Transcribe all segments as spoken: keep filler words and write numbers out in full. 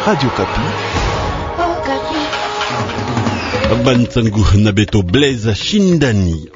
Radio Okapi. Okapi. Bana nsangu na beto Blaise Shindani.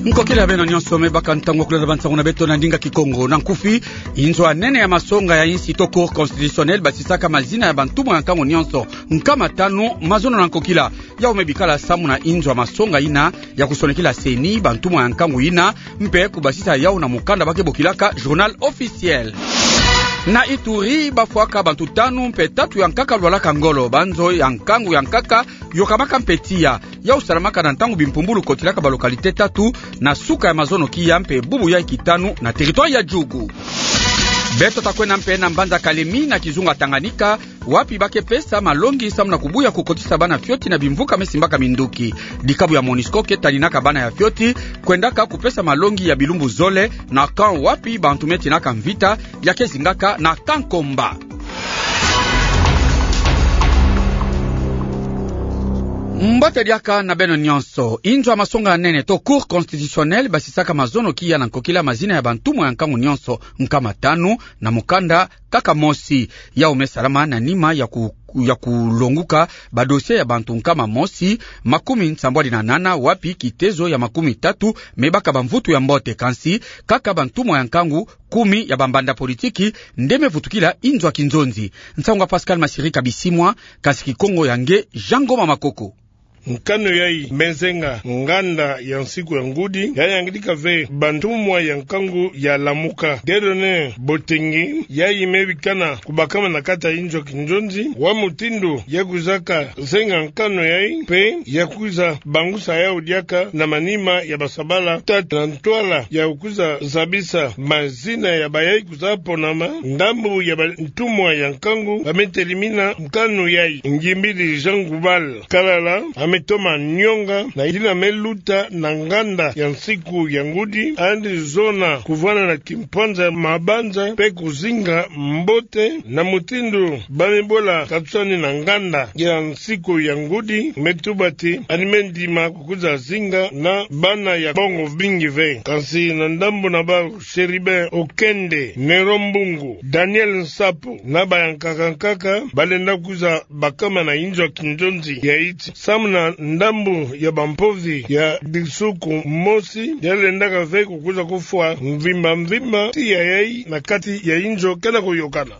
Nkokila beno nyonso, me baka ntangu ya kulanda bana nsangu na beto na ndinga Kikongo. Na nkufi: inzo ya nene ya masonga ya insi to Cour constitutionnelle basisaka mazina ya bantumwa ya nkangu nyonso nkama tanu, mazono na nkokila. Yau me bikala samu na inzo ya masonga ina ya kusonekila CENI bantumwa ya nkangu ina, mpe kubasisa yau na mukanda ba ke bokilaka Journal Officiel. Na Ituri, bafwaka bantu tanu mpe tatu ya nkaka lwalaka ngolo. Banzo ya nkangu ya nkaka yokamaka mpe tiya. Yau salamaka na ntangu bimpumbulu kotilaka ba localité tatu na suka ya mazono kiya mpe bubu yai kitanu na territoire ya Djugu. Beto ta kwenda mpe na mbanza Kalemi na kizunga Tanganyika, wapi ba ke pesa malongi samu na kubuya kukotisa bana fioti na bimvuka me simbaka minduki. Dikabu ya MONUSCO ke taninaka bana ya fioti kwendaka kupesa malongi ya bilumbu zole na camp wapi bantu me tinaka mvita ya ke zingaka na Kankomba. Mbote diaka na beno nyonso. Inzo ya masonga ya nene to Cour constitutionnelle basisaka mazono kiya na nkokila mazina ya bantumwa ya nkangu nyonso nkama tanu na mukanda kaka mosi. Yau me salama na nima ya ku-, ya kulonguka ba dossier ya bantu nkama mosi makumi nsambwadi na nana, wapi kitezo ya makumi tatu me baka bamvutu ya mbote. Kansi kaka bantumwa ya nkangu kumi ya bambanda politiki nde me vutukila inzo ya kinzonzi. Nsangu ya Pascal Masirika Bisimwa, kansi Kikongo ya nge Jean Ngoma Makoko. Nkanu yai me zenga nganda ya nsiku ya ngudi, ya yangidika ve bantumwa ya nkangu ya Lamuka. Dieudonné Botengi, yai me bikana kubakama na kati ya inzo ya kinzonzi, wa mutindu ya kwizaka zenga nkanu yai, mpe ya kwiza bangusa yau diaka na manima ya basabala tatu na ntwala ya kwiza zabisa mazina ya bayai kwiza ponama. Ndambu ya bantumwa ya nkangu ba me telimina nkanu yai. Ngimbidi Jean Goubal Kalala a me toma nionga na yina me luta na nganda ya nsiku ya ngudi, yandi zona kuvwanda na kimpwanza ya mabanza mpe kuzinga mbote na mutindu ba me bola katusani na nganda ya nsiku ya ngudi. Me tuba ti yandi me ndima kwiza zinga na bana ya mbongo mbingi ve. Kansi na ndambu na bau, Chérubin Okende, Nero Mbungu, Daniel Nsapu na bayankaka nkaka balenda kwiza bakama na inzo ya kinzonzi ya iti samu na ndambu ya bampovi ya disuku mosi ya lendaka ve kukwiza kufwa mvimba mvimba tiya yai na kati ya inzo kena kuyokana.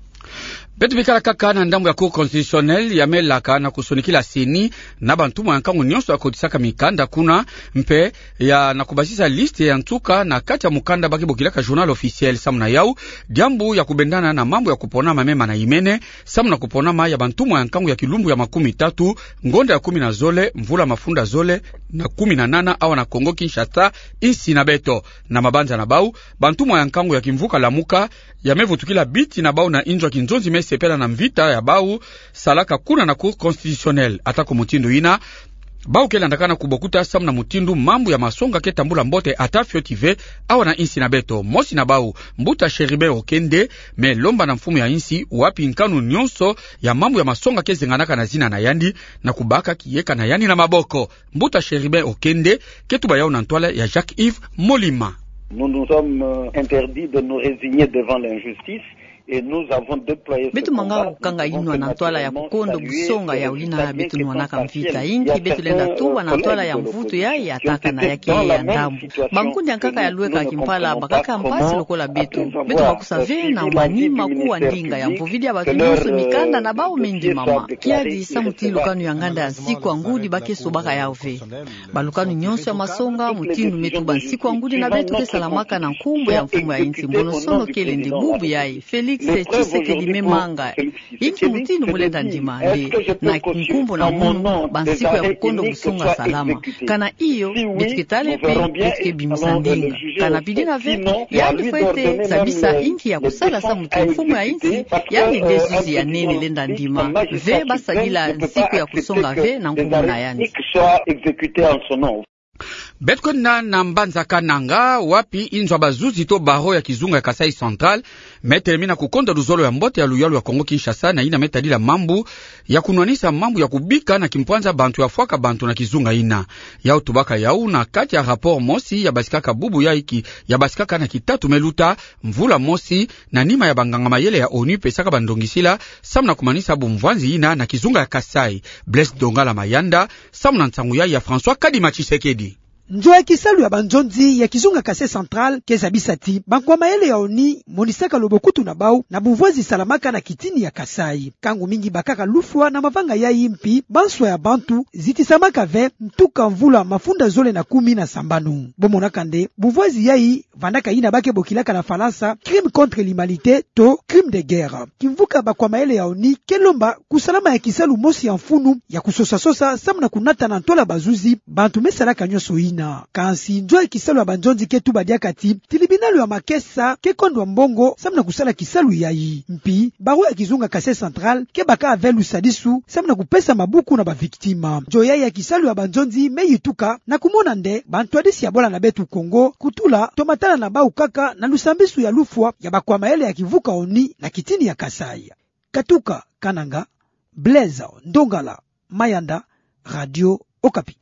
Beto bikala kaka na ndambu ya Cour constitutionnelle, ya me laka na kusonikila CENI na bantumwa ya nkangu nyonso ya kotisaka mikanda kuna, mpe ya na kubasisa liste ya nsuka na kati ya mukanda ba ke bokilaka Journal Officiel. Samu na yau, diambu ya kubendana na mambu ya kuponama me mana imene samu na kuponama ya bantumwa ya nkangu ya kilumbu ya makumi tatu, ngonda ya kumi na zole, mvula mafunda zole na kumi na nana, awa na Kongo Kinshasa, insi na beto. Na mabanza na bau, bantumwa ya nkangu ya kimvuka Lamuka ya me vutukila biti na bau na inzo ya kinzonzi me sepela na mvita ya bau salaka kuna na Cour constitutionnelle. Ata ko mutindu yina, bau ke landakana kubokuta samu na mutindu mambu ya masonga ke tambula mbote ata fioti ve awa na insi na beto. Mosi na bau, mbuta Chérubin Okende, me lomba na mfumu ya insi wapi nkanu nyonso ya mambu ya masonga ke zenganaka na zina na yandi na kubaka kiyeka na yandi na maboko. Mbuta Chérubin Okende ke tuba yau na ntwala ya Jacques-Yves Molima. Nous nous sommes, euh, interdits de nous résigner devant l'injustice et nous avons déployé ce combat. Beto manga kukanga inwa na ntwala ya kukondo busonga ya wina beto nwanaka mvita. Inki beto lenda tuba na ntwala ya mvutu ya, ya takana ya ke ya ndambu. Bankundi ya nkaka ya lweka kimpala bakaka mpasi lokola beto. Beto bakusa ve na manima kuwa ndinga ya mpovidi ya bato nyonso mikanda na bau me ndimama. Kiadi samu ti lukanu ya nganda ya nsiku ya ngudi ba ke sobaka yau ve. Balukanu nyonso ya masonga, mutindu me tuba nsiku ya ngudi na beto ke salamaka na nkumbu ya mfumu ya insi. Mbonosono kele nde bubu yai, Félix Tshisekedi me manga. Inki mutindu mu lenda ndima nde na nkumbu na munu bansiku ya kukondo busonga salama? Kana iyo, beto ke tala mpe beto ke bimisa ndinga. Kana bidina ve, yandi fwete zabisa inki ya kusala samu ti mfumu ya insi yandi nde zuzi ya nene lenda ndima ve ba sadila nsiku ya kusonga ve na nkumbu na yandi. Beto kwenda na mbanza Kananga, wapi inzo ya bazuzi to barreau ya kizunga ya Kasaï Central me telemina kukonda luzolo ya mbote ya luyalu ya Kongo-Kinshasa na yina me tadila mambu ya kunwanisa mambu ya kubika na kimpwanza bantu ya fwaka bantu na kizunga yina. Yau tubaka yau na kati ya rapport mosi ya basikaka bubu ya iki, ya basikaka na kitatu me luta, mvula mosi, na nima ya banganga-mayele ya onu pesaka bandongisila samu na kumanisa bumvwanzi yina na kizunga ya Kasaï. Blaise Dongala Mayanda, samu na nsangu yayi ya François Kadima Tshisekedi. Nzo ya kisalu ya banzonzi ya kizunga Kasaï Central ke zabisa ti bankwa-mayele ya onu monisaka lobokutu na bau na bumvwanzi salamaka na kitini ya Kasaï. Nkangu mingi bakaka lufwa na mavanga yayi mpi banswa ya bantu zitisamaka ve, ntuka mvula mafunda zole na kumi na sambanu. Bo monaka nde bumvwanzi yayi vandaka yina ba ke bokilaka na Falansa crime contre l'humanité to crime de guerre. Kimvuka bankwa-mayele ya onu ke lomba kusalama ya kisalu mosi ya mfunu ya kusosa-sosa samu na kunata na ntwala bazuzi bantu me salaka nyonso yina. Kansi nzo ya kisalu ya banzonzi ke tuba diaka ti tilibinalu ya makesa ke kondwa mbongo samu na kusala kisalu yayi. Mpi barreau ya kizunga Kasaï Central ke baka ve lusadisu samu na kupesa mabuku na bavictime. Nzo yayi ya kisalu ya banzonzi me yituka na kumona nde bantwadisi ya bwala na beto Kongo kutula to matala na bau kaka na lusambisu ya lufwa ya bankwa-mayele ya kimvuka onu na kitini ya Kasaï. Katuka Kananga, Blaise Ndongala Mayanda, Radio Okapi.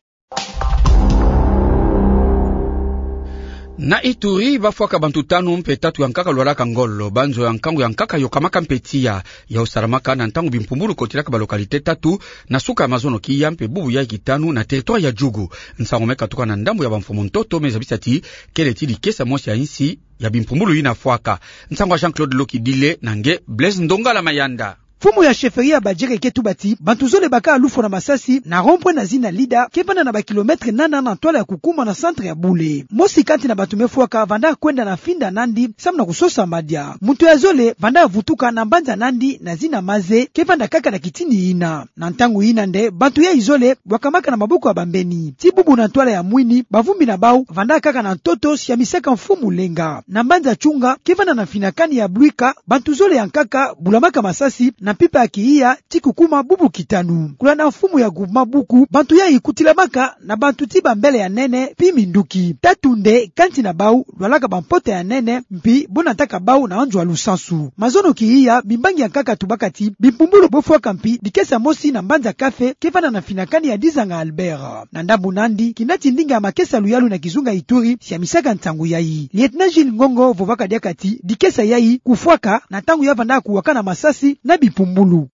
Na Ituri, bafwaka bantu tanu mpe tatu ya nkaka lwalaka ngolo, banzo ya nkangu ya nkaka yokamaka mpe tiya. Yau salamaka na ntangu bimpumbulu kotilaka balocalité tatu, na suka ya mazono kiya mpe bubu ya ikitanu na territoire ya Djugu. Nsangu me katuka na ndambu ya bamfumu ntoto me zabisa ti kele ti dikesa mosi ya insi ya bimpumbulu yina fwaka. Nsangu ya Jean-Claude Lokidile na nge Blaise Ndongala Mayanda. Mfumu ya chefferie ya Badjiri ke tuba ti bantu zole baka lufwa na masasi na rond-point na zina Lida, ke vanda na bakilomètre nana na ntwala ya kukuma na centre ya Bule. Mosi kati na bantu me fwaka vanda kwenda na finda nandi samu na kusosa madia. Muntu ya zole vanda vutuka na mbanza nandi na zina Maze, ke vanda kaka na kitini yina. Na ntangu yina nde bantu yayi zole bwakamaka na maboko ya bambeni. Ti bubu na ntwala ya mwini, bavumbi na bau vanda kaka na ntoto, siamisaka mfumu Lenga. Na mbanza Tshunga, ke vanda na mfinakani ya Bluika, bantu zole ya nkaka bulamaka masasi na mpimpa ya kihiya ti kukuma bubu kitanu. Kulanda mfumu ya groupement Buku, bantu yayi kutilamaka na bantu ti bambele ya nene mpi minduki. Tatu nde kati na bau lwalaka bampota ya nene, mpi bo nataka bau na nzo ya lusansu. Mazono kihiya, bimbangi ya nkaka tubaka ti bimpumbulu bo fwaka mpi dikesa mosi na mbanza Kafe, ke vanda na mfinakani ya Dizanga Albert. Na ndambu nandi, kinati ndinga ya makesa luyalu na kizunga Ituri siamisaka nsangu yayi. Lieutenant Jules Ngongo vovaka diaka ti dikesa yayi kufwaka na ntangu ya vanda kuwakana masasi na bimpumbulu.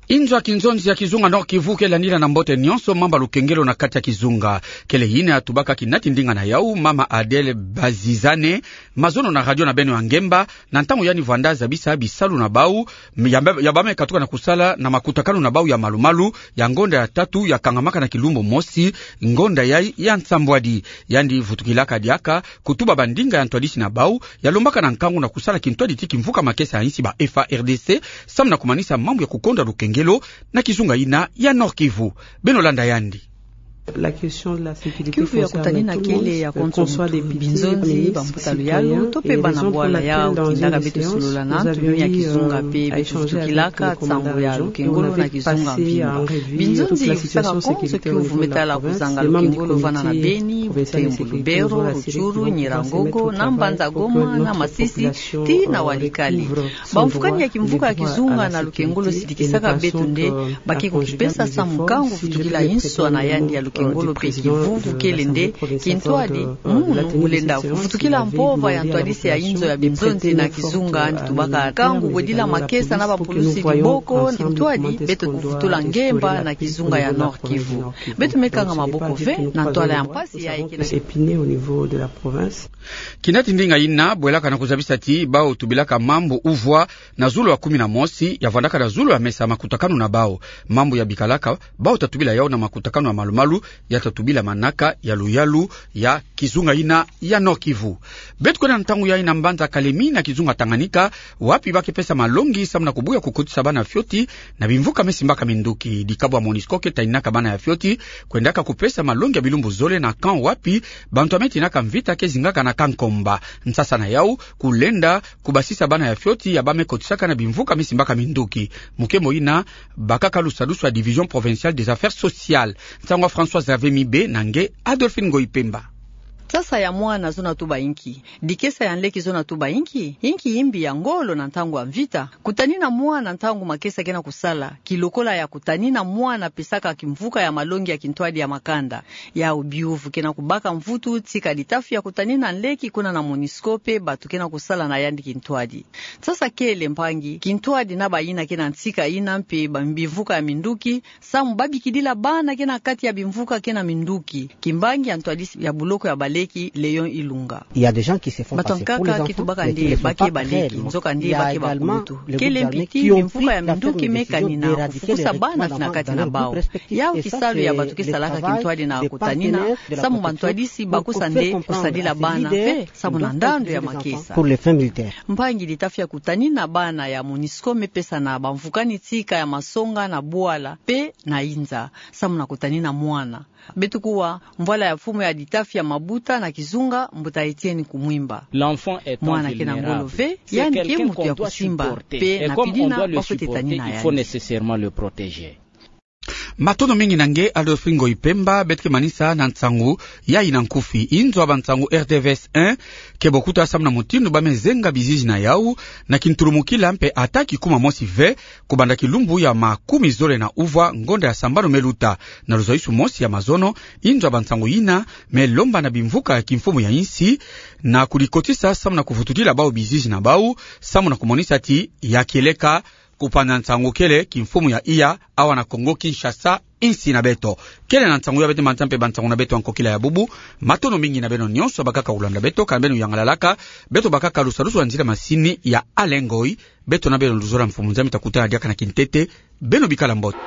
Inzo ya kinzonzi ya kizunga Nord-Kivu ke landila na mbote nyonso mamba lukengelo na kati ya kizunga. Kele yina ya tubaka kinati ndinga na yau, mama Adèle Bazizane, mazono na radio na beno ya ngemba, na ntangu yandi vanda zabisa bisalu na bau ya mbe-, ya ba me katuka na kusala na makutakanu na bau ya malu-malu ya ngonda ya tatu ya kangamaka na kilumbu mosi, ngonda yayi ya nsambwadi. Yandi vutukilaka diaka kutuba bandinga ya ntwadisi na bau ya lombaka na nkangu na kusala kintwadi ti kimvuka makesa ya insi, ba F A R D C, samu na kumanisa mambu ya kukonda lukengelo na kizunga yina ya Nord-Kivu. Beno landa yandi. Kiuvu ya kutanina kele ya konso muntu, binzonzi, bambuta luyalu, to mpe bana bwala. Yau tindaka beto solola na ntu ya kizunga mpe beto vutukilaka nsangu ya lukengolo na kizunga mvimba. Binzonzi yifusaka konso kiuvu me tala kuzanga lukengolo vana na Beni, Butembo, Lubero, Rutshuru, Nyiragongo, na mbanza Goma, na Masisi, tii na Walikale. Bamfukani ya kimvuka ya kizunga na lukengolo sidikisaka beto nde ba ke kukipesa samu nkangu vutukila inswa na yandi ya lukengolo mpe kivuvu kele nde kintwadi, munu mu lenda vutukila mpova ya ntwadisi ya inzo ya binzonzi na kizunga. Yandi tubaka nkangu bwedila makesa na bapulusi diboko, kintwadi beto kuvutula ngemba na kizunga ya Nord-Kivu. Beto me kanga maboko ve na ntwala ya mpasi yayi ke na Kinati ndinga yina bwelaka na kuzabisa ti bau tubilaka mambu uvwa na zulu ya kumi na mosi, ya vandaka na zulu ya mesa makutakanu na bau. Mambu ya bikalaka bau ta tubila yau na makutakanu ya malu-malu, ya ta tubila manaka ya luyalu ya kizunga yina ya Nord-Kivu. Beto kwenda na ntangu yayi na mbanza Kalemi na kizunga Tanganyika, wapi ba ke pesa malongi samu na kubuya kukotisa bana fioti na bimvuka me simbaka minduki. Dikabu ya MONUSCO ke taninaka bana ya fioti kwendaka kupesa malongi ya bilumbu zole na camp wapi bantu ya me tinaka mvita ke zingaka na Kankomba. Nsasa na yau, kulenda kubasisa bana ya fioti ya ba me kotisaka na bimvuka me simbaka minduki. Mukembo yina bakaka lusadusu ya Division Provinciale des Affaires Sociales. Nsangu ya François Françoise Avemi be na nge Adolphine Ngoyi Pemba. Nsasa ya mwana zona tuba inki? Dikesa ya nleki zona tuba inki? Inki imbi ya ngolo na ntangu ya mvita? Kutanina mwana ntangu makesa kena kusala, kilokola ya kutanina mwana pesaka kimvuka ya malongi ya kintwadi ya makanda. Yau biuvu kena kubaka mvutu tika ditafi ya kutanina nleki kuna na MONUSCO pe bato kena kusala na yandi kintwadi. Nsasa kele mpangi, kintwadi na bayina kena ntika yina mpe ba-, bimvuka ya minduki, samu babikidila bana kena kati ya bimvuka kena minduki. Kimbangi ya ntwadisi ya buloko ya baleki, Léon Ilunga. Bato ya nkaka ke tubaka nde ba ke baleki, nzokande ba ke bakulutu. Kele mpiti, bimvuka ya minduki me kanina kufukusa bana fina kati na bau. Yau kisalu ya bato ke salaka kintwadi na kutanina, samu bantwadisi bakusa nde kusadila bana ve, samu na ndando ya makesa. Mpangi, ditafi ya kutanina bana ya MONUSCO me pesa na bamvukani tika ya masonga na bwala pe na inza, samu na kutanina mwana. Beto kuwa mvwala ya mfumu ya ditafi ya mabuta na kizunga, Mbuta Etienne Kumwimba. Mwana kena ngolo ve, yandi ke mutu ya kusimba, pe na pidina bafwete tanina yandi. Matondo mingi na nge Adolphine Ngoyi Pemba. Beto ke manisa na nsangu yayi na nkufi. Inzo ya bansangu R T V S un ke bokuta samu na mutindu ba me zenga bizizi na yau na kintulumukila mpe ata kikuma mosi ve, kubanda kilumbu ya makumi zole na uvwa ngonda ya sambanu me luta. Na luzaisu mosi ya mazono, inzo ya bansangu yina me lomba na bimvuka ya kimfumu ya insi na kudikotisa samu na kuvutudila bau bizizi na bau, samu na kumonisa ti ya kieleka kupanza nsangu kele kimfumu ya iya awa na Kongo Kinshasa, insi na beto. Kele na nsangu ya beto manisa mpe bansangu na beto ya nkokila ya bubu. Matondo mingi na beno nyonso bakaka kulanda beto, ka beno yangalalaka. Beto bakaka lusadusu wa nzila masini ya Alain Ngoyi. Beto na beno luzola mfumu Nzambi ta kutana diaka na kintete. Beno bikala mbote.